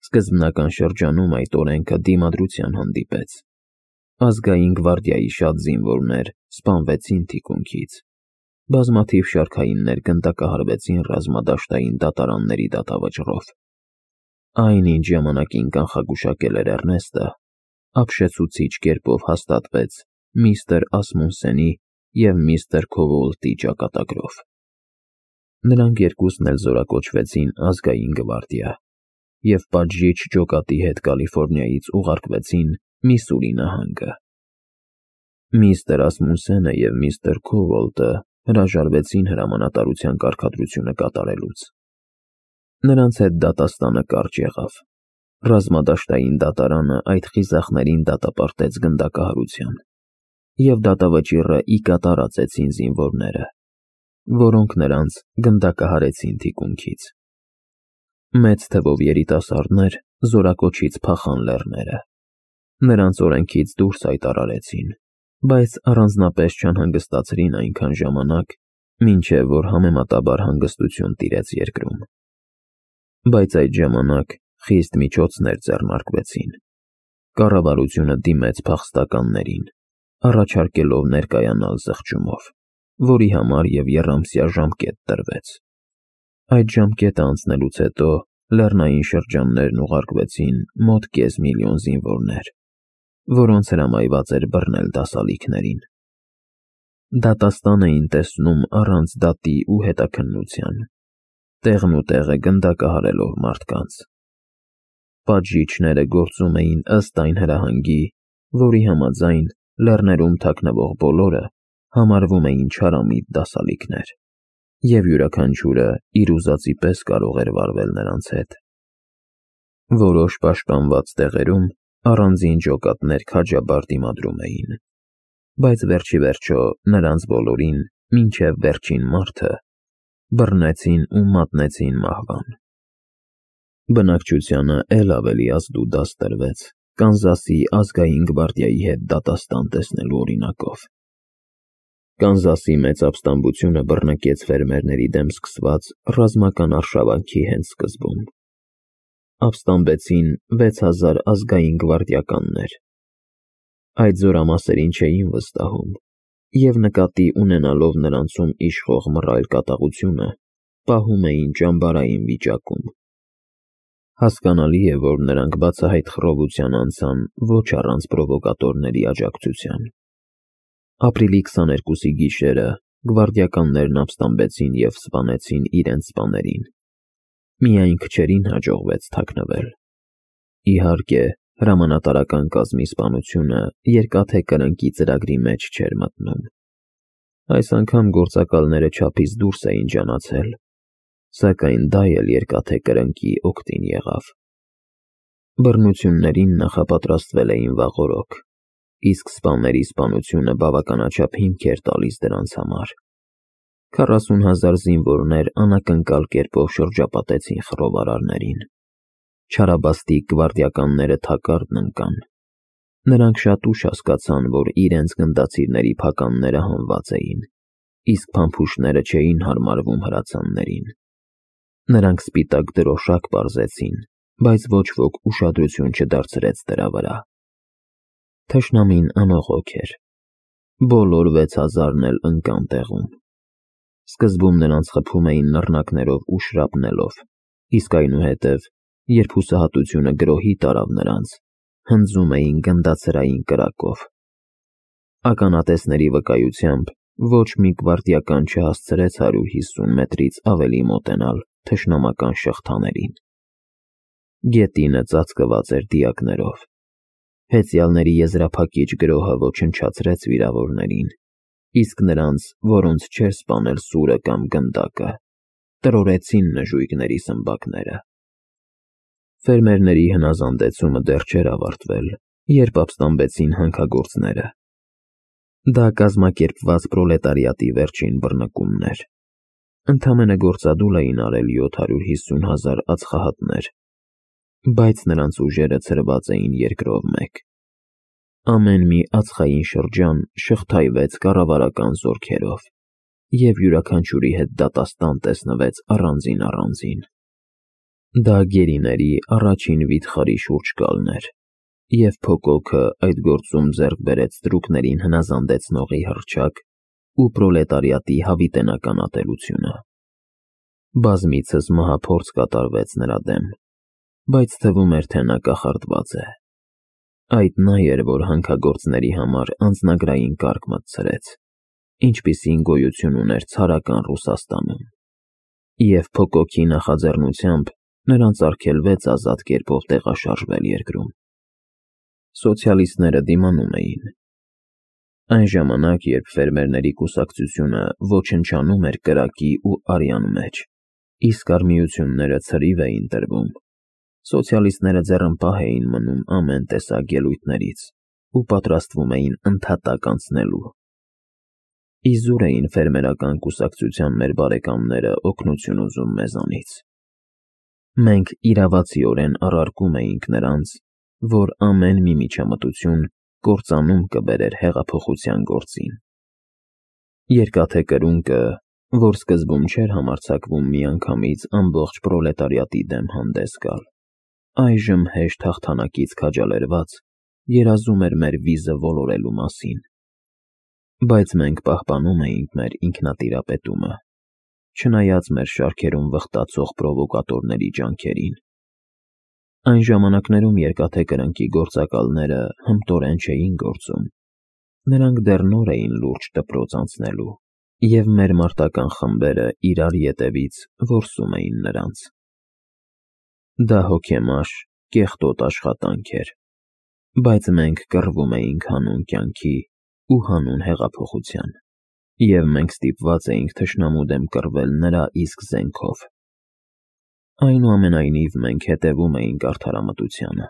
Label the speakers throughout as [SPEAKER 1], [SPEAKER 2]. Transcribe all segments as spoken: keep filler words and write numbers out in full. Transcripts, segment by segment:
[SPEAKER 1] Սկզբնական շրջանում այդ օրենքը դիմադրության հանդիպեց։ Ազգային գվարդիայի շատ զինվորներ սպանվեցին թիկունքից։ Բազմաթիվ շարքայիններ գնդակահարվեցին ռազմադաշտային դատարանների դատավճռով։ Այն, ինչ ժամանակին կանխագուշակել էր Էռնեստը, ապշեցուցիչ կերպով հաստատվեց միստր Ասմունսենի և միստր Քովոլտի ճակատագրով։ Նրանք երկուսն էլ զորակոչվեցին ազգային գվարդիա և պատժիչ ջոկատի հետ Կալիֆոռնիայից ուղարկվեցին Միսսուրի նահանգը։ Միստր Ասմունսենը և միստր Քովոլտը հրաժարվեցին հրամանատարության կարգադրությունը կատարելուց։ Նրանց հետ դատաստանը կարճ եղավ։ Ռազմադաշտային դատարանը այդ խիզախներին դատապարտեց գնդակահարության, և դատավճիռը ի կատար ածեցին զինվորները, որոնք նրանց գնդակահարեցին թիկունքից։ Մեծ թվով երիտասարդներ զորակոչից փախան լեռները։ Նրանց օրենքից դուրս հայտարարեցին, բայց առանձնապես չանհանգստացրին այնքան ժամանակ, մինչև որ համեմատաբար հանգստություն տիրեց երկրում։ Բայց այդ ժամանակ խիստ միջոցներ ձեռնարկվեցին։ Կառավարությունը դիմեց փախստականներին, առաջարկելով ներկայանալ զղջումով, որի համար և եռամսյա ժամկետ տրվեց։ Այդ ժամկետը անցնելուց հետո լեռնային շրջաններն ուղարկվեցին մոտ կես միլիոն զինվորներ, որոնց հրամայված էր բռնել դասալիքներին։ Դատաստան էին տեսնում առանց դատի ու հետաքննության, տեղն ու տեղը գնդակահարելով մարդկանց։ Պատժիչները գործում էին ըստ այն հրահանգի, որի համաձայն լեռներում թաքնվող բոլորը համարվում էին չարամիտ դասալիքներ, և յուրաքանչյուրը իր ուզածի պես կարող էր վարվել նրանց հետ։ Որոշ պաշտպանված տեղերում առանձին ջոկատներ քաջաբար դիմադրում էին, բայց վերջիվերջո նրանց բոլորին, մինչև վերջին մարդը, բռնեցին ու մատնեցին մահվան։ Բնակչությանը էլ ավելի ազդուդաս տրվեց Կանզասի ազգային գվարդիայի հետ դատաստան տեսնելու օրինակով։ Կանզասի մեծ ապստամբությունը բռնկեց ֆերմերների դեմ սկսված ռազմական արշավանքի հենց սկզբում։ Ապստամբեցին վեց հազար ազգային գվարդիականներ։ Այդ զորամասերին չէին վստահում, և նկատի ունենալով նրանցում իշխող մռայլ կատաղությունը, պահում էին ճամբարային վիճակում։ Հասկանալի է, որ նրանք բացահայտ խռովության անցան ոչ առանց պրովոկատորների աջակցության։ Ապրիլի քսաներկուսի գիշերը գվարդիականներն ապստամբեցին և սպանեցին իրենց սպաներին։ Միայն քչերին հաջողվեց թաքնվել։ Իհարկե, հրամանատարական կազմի սպանությունը Երկաթե Կրնկի ծրագրի մեջ չէր մտնում։ Այս անգամ գործակալները չափից դուրս էին ջանացել, սակայն դա էլ Երկաթե Կրնկի օգտին եղավ։ Բռնություններին նախապատրաստվել էին վաղօրոք, իսկ սպաների սպանությունը բավականաչափ հիմք էր տալիս դրանց համար։ Քառասուն հազար զինվորներ անակնկալ կերպով շրջապատեցին խռովարարներին։ Չարաբաստիկ գվարդիականները թակարդն ընկան։ Նրանք շատ ուշ հասկացան, որ իրենց գնդացիրների փականները հանված էին, իսկ փամփուշտները չէին հարմարվում հրացաններին։ Նրանք սպիտակ դրոշակ պարզեցին, բայց ոչ ոք ուշադրություն չդարձրեց դրա վրա։ Թշնամին անողոք էր։ Բոլոր վեց հազարն էլ ընկան տեղում։ Սկզբում նրանց խփում էին նռնակներով ու շրապնելով, իսկ այնուհետև, երբ հուսահատությունը գրոհի տարավ նրանց, հնձում էին գնդացրային կրակով։ Ականատեսների վկայությամբ ոչ մի գվարդիական չհասցրեց հարյուր հիսուն մետրից ավելի մոտենալ թշնամական շղթաներին։ Գետինը ծածկված էր դիակներով։ Հեծյալների եզրափակիչ գրոհը ոչնչացրեց վիրավորներին, իսկ նրանց, որոնց չէր սպանել սուրը կամ գնդակը, տրորեցին նժույգների սմբակները։ Ֆերմերների հնազանդեցումը դեռ չէր ավարտվել, երբ ապստամբեցին հանքագործները։ Դա կազմակերպված պրոլետարիատի վերջին բռնկումն էր։ Ընդամենը գործադուլ էին արել յոթ հարյուր հիսուն հազար ածխահատներ, բայց նրանց ուժերը ցրված էին երկրով մեկ։ Ամեն մի ածխային շրջան շղթայվեց կառավարական զորքերով, և յուրաքանչյուրի հետ դատաստան տեսնվեց առանձին-առանձին։ Դա գերիների առաջին վիթխարի շուրջ գալն էր, և փոկոքը այդ գործում ձեռք բերեց ստրուկներին հնազանդեցնողի հռչակ ու պրոլետարիատի հավիտենական ատելությունը։ Բազմիցս մահափորձ կատարվեց նրա դեմ, բայց թվում էր, թե նա կախարդված է։ Այդ նա էր, որ հանքագործների համար անձնագրային կարգ մտցրեց, ինչպիսին գոյություն ուներ ցարական Ռուսաստանում, և փոկոքի նախաձեռնությամբ նրանց արգելվեց ազատ կերպով տեղաշարժվել երկրում։ Սոցիալիստները դիմանում էին։ Այն ժամանակ, երբ Ֆերմերների կուսակցությունը ոչնչանում էր կրակի ու արյան մեջ, իսկ արմիությունները ցրիվ էին տրվում, սոցիալիստները ձեռնպահ էին մնում ամեն տեսակ ելույթներից ու պատրաստվում էին ընդհատակ անցնելու։ Իզուր էին ֆերմերական կուսակցության մեր բարեկամները օգնություն ուզում մեզանից։ Մենք իրավացիորեն առարկում էինք նրանց, որ ամեն մի միջամտություն կործանում կբերեր հեղափոխության գործին։ Երկաթե կրունկը, որ սկզբում չէր համարձակվում միանգամից ամբողջ պրոլետարիատի դեմ հանդես գալ, այժմ հեշտ հաղթանակից քաջալերված երազում էր մեր վիզը ոլորելու մասին։ Բայց մենք պահպանում էինք մեր ինքնատիրապետումը, չնայած մեր շարքերում վխտացող պրովոկատորների ջանքերին։ Այն ժամանակներում Երկաթե կրնկի գործակալները հմտորեն չէին գործում, նրանք դեռ նոր էին լուրջ դպրոց անցնելու, և մեր մարտական խմբերը իրար ետևից որսում էին նրանց։ Դա հոգեմաշ, կեղտոտ աշխատանք էր, բայց մենք կռվում էինք հանուն կյանքի ու հանուն հեղափոխության, և մենք ստիպված էինք թշնամու դեմ կռվել նրա իսկ զենքով։ Այնուամենայնիվ, մենք հետևում էինք արդարամտությանը։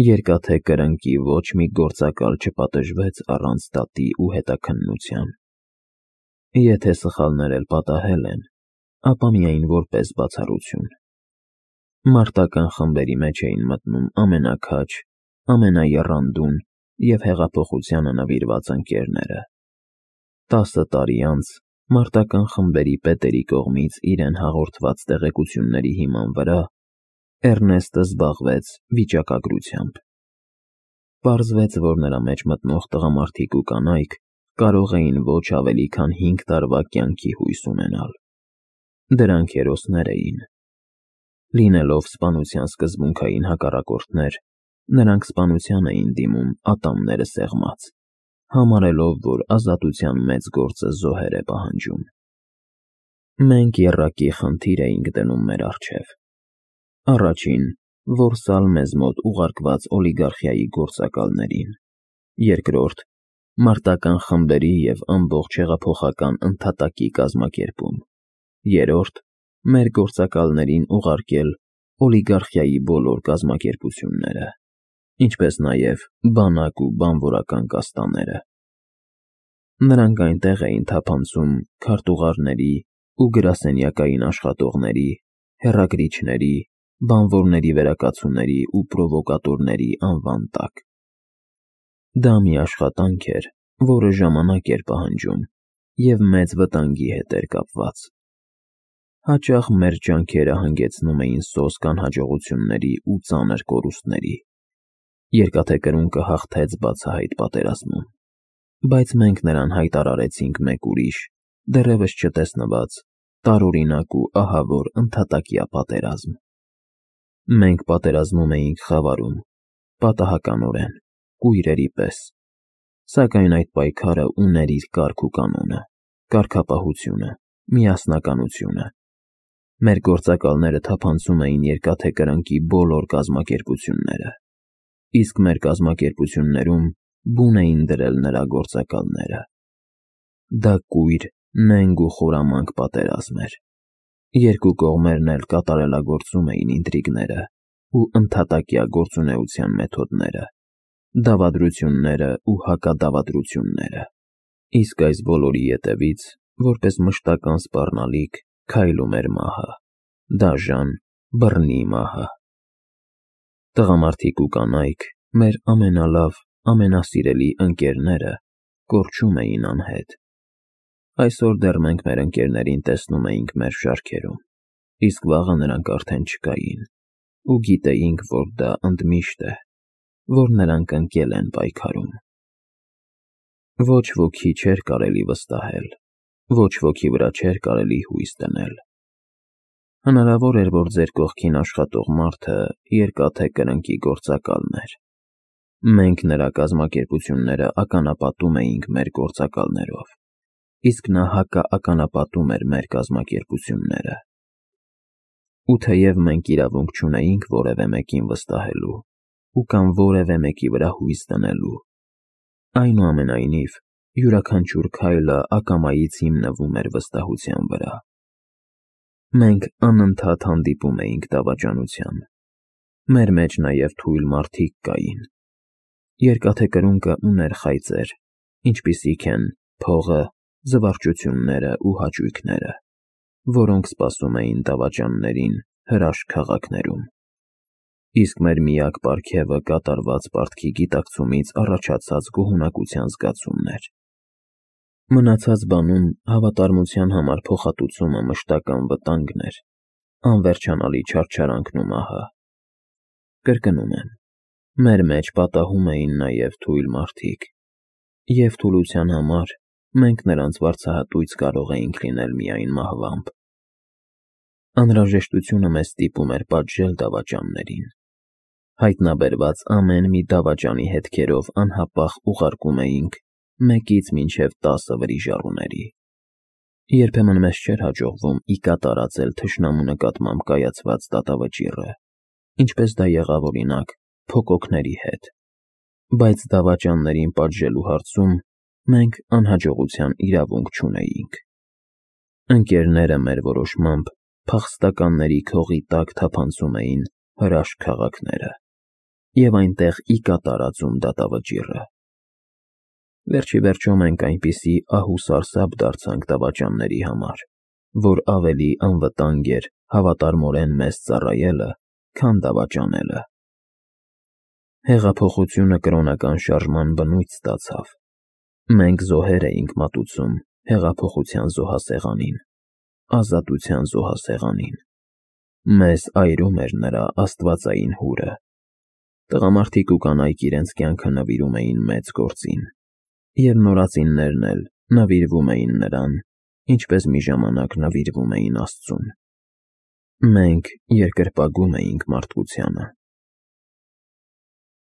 [SPEAKER 1] Երկաթե կրնկի ոչ մի գործակալ չպատժվեց առանց դատի ու հետաքննության։ Եթե սխալներ էլ պատահել են, ապա միայն որպես բացառություն։ Մարտական խմբերի մեջ էին մտնում ամենաքաջ, ամենաեռանդուն և հեղափոխությանը նվիրված ընկերները։ Տասը տարի անց մարտական խմբերի պետերի կողմից իրեն հաղորդված տեղեկությունների հիման վրա Էռնեստը զբաղվեց վիճակագրությամբ։ Պարզվեց, որ նրա մեջ մտնող տղամարդիկ ու կանայք կարող էին ոչ ավելի քան հինգ տարվա կյանքի հույս ունենալ։ Դրանք հերոսներ էին։ Լինելով սպանության սկզբունքային հակառակորդներ, նրանք սպանության էին դիմում ատամները սեղմած, համարելով, որ ազատության մեծ գործը զոհեր է պահանջում։ Մենք եռակի խնդիր էինք դնում մեր առջև. առաջին՝ որսալ մեզ մոտ ուղարկված օլիգարխիայի գործակալներին, երկրորդ՝ մարտական խմբերի և ամբողջ հեղափոխական ընդհատակի կազմակերպում, երրորդ՝ մեր գործակալներին ուղարկել օլիգարխիայի բոլոր կազմակերպությունները, ինչպես նաև բանակ ու բանվորական կաստաները։ Նրանք այնտեղ էին թափանցում քարտուղարների ու գրասենյակային աշխատողների, հեռագրիչների, բանվորների վերակացուների ու պրովոկատորների անվան տակ։ Դա մի աշխատանք էր, որը ժամանակ էր պահանջում և մեծ վտանգի հետ էր կապված։ Հաճախ մեր ջանքերը հանգեցնում էին սոսկ անհաջողությունների ու ծանր կորուստների։ Երկաթե կրունկը հաղթեց բացահայտ պատերազմում, բայց մենք նրան հայտարարեցինք մեկ ուրիշ, դեռևս չտեսնված, տարօրինակ ու ահավոր ընդհատակյա պատերազմ։ Մենք պատերազմում էինք խավարում, պատահականորեն, կույրերի պես, սակայն այդ պայքարը ուներ իր կարգ ու կանոնը, կարգապահությունը, միասնականությունը։ Մեր գործակալները թափանցում էին Երկաթե կրնկի բոլոր կազմակերպությունները, իսկ մեր կազմակերպություններում բուն էին դրել նրա գործակալները։ Դա կույր, նենգ ու խորամանկ պատերազմ էր։ Երկու կողմերն էլ կատարելագործում էին ինտրիգները ու ընդհատակյա գործունեության մեթոդները, դավադրությունները ու հակադավադրությունները։ Իսկ այս բոլորի ետևից, որպես մշտական սպառնալիք, քայլում էր մահը, դաժան, բռնի մահը։ Տղամարդիկ ու կանայք, մեր ամենալավ, ամենասիրելի ընկերները, կորչում էին անհետ։ Այսօր դեռ մենք մեր ընկերներին տեսնում էինք մեր շարքերում, իսկ վաղը նրանք արդեն չկային, ու գիտեինք, որ դա ընդմիշտ է, որ նրանք ընկել են պայքարում։ Ոչ ոքի չէր կարելի վստահել, ոչ ոքի վրա չէր կարելի հույս դնել։ Հնարավոր էր, որ ձեր կողքին աշխատող մարդը երկաթե կրնկի գործակալն էր։ Մենք նրա կազմակերպությունները ականապատում էինք մեր գործակալներով, իսկ նա հակաականապատում էր մեր կազմակերպությունները։ Ու թեև մենք իրավունք չունեինք որևէ մեկին վստահելու ու կամ որևէ մեկի վրա հույս դնելու, այնուամենայնիվ, յուրաքանչյուր քայլը ակամայից հիմնվում էր վստահության վրա։ Մենք անընդհատ հանդիպում էինք դավաճանության։ Մեր մեջ նաև թույլ մարդիկ կային։ Երկաթե կրունկը ուներ խայծեր, ինչպիսիք են փողը, զվարճությունները ու հաճույքները, որոնք սպասում էին դավաճաններին հրաշք քաղաքներում։ Իսկ մեր միակ պարգևը կատարված պարտքի գիտակցումից առաջացած գոհունակության զգացումն էր։ Մնացած բանում հավատարմության համար փոխհատուցումը մշտական վտանգն էր, անվերջանալի չարչարանքն ու մահը։ Կրկնում եմ, մեր մեջ պատահում էին նաև թույլ մարդիկ, և թուլության համար մենք նրանց վարձահատույց կարող էինք լինել միայն մահվամբ։ Անհրաժեշտությունը մեզ ստիպում էր պատժել դավաճաններին։ Հայտնաբերված ամեն մի դավաճանի հետքերով անհապաղ ուղարկում էինք մեկից մինչև տասը վրիժառուների։ Երբեմն մեզ չէր հաջողվում ի կատարածել թշնամու նկատմամբ կայացված դատավճիռը, ինչպես դա եղավ, օրինակ, փոկոքների հետ, բայց դավաճաններին պատժելու հարցում մենք անհաջողության իրավունք չունեինք։ Ընկերները մեր որոշմամբ փախստականների քողի տակ թափանցում էին հրաշք քաղաքները և այնտեղ ի կատարածում դատավճիռը։ Վերջիվերջո մենք այնպիսի ահ ու սարսափ դարձանք դավաճանների համար, որ ավելի անվտանգ էր հավատարմորեն մեզ ծառայելը, քան դավաճանելը։ Հեղափոխությունը կրոնական շարժման բնույթ ստացավ։ Մենք զոհեր էինք մատուցում հեղափոխության զոհասեղանին, ազատության զոհասեղանին։ Մեզ այրում էր նրա աստվածային հուրը։ Տղամարդիկ ու կանայք իրենց կյանքը նվիրում էին մեծ գործին, և նորածիններն էլ նվիրվում էին նրան, ինչպես մի ժամանակ նվիրվում էին Աստծուն։ Մենք երկրպագում էինք մարդկությանը։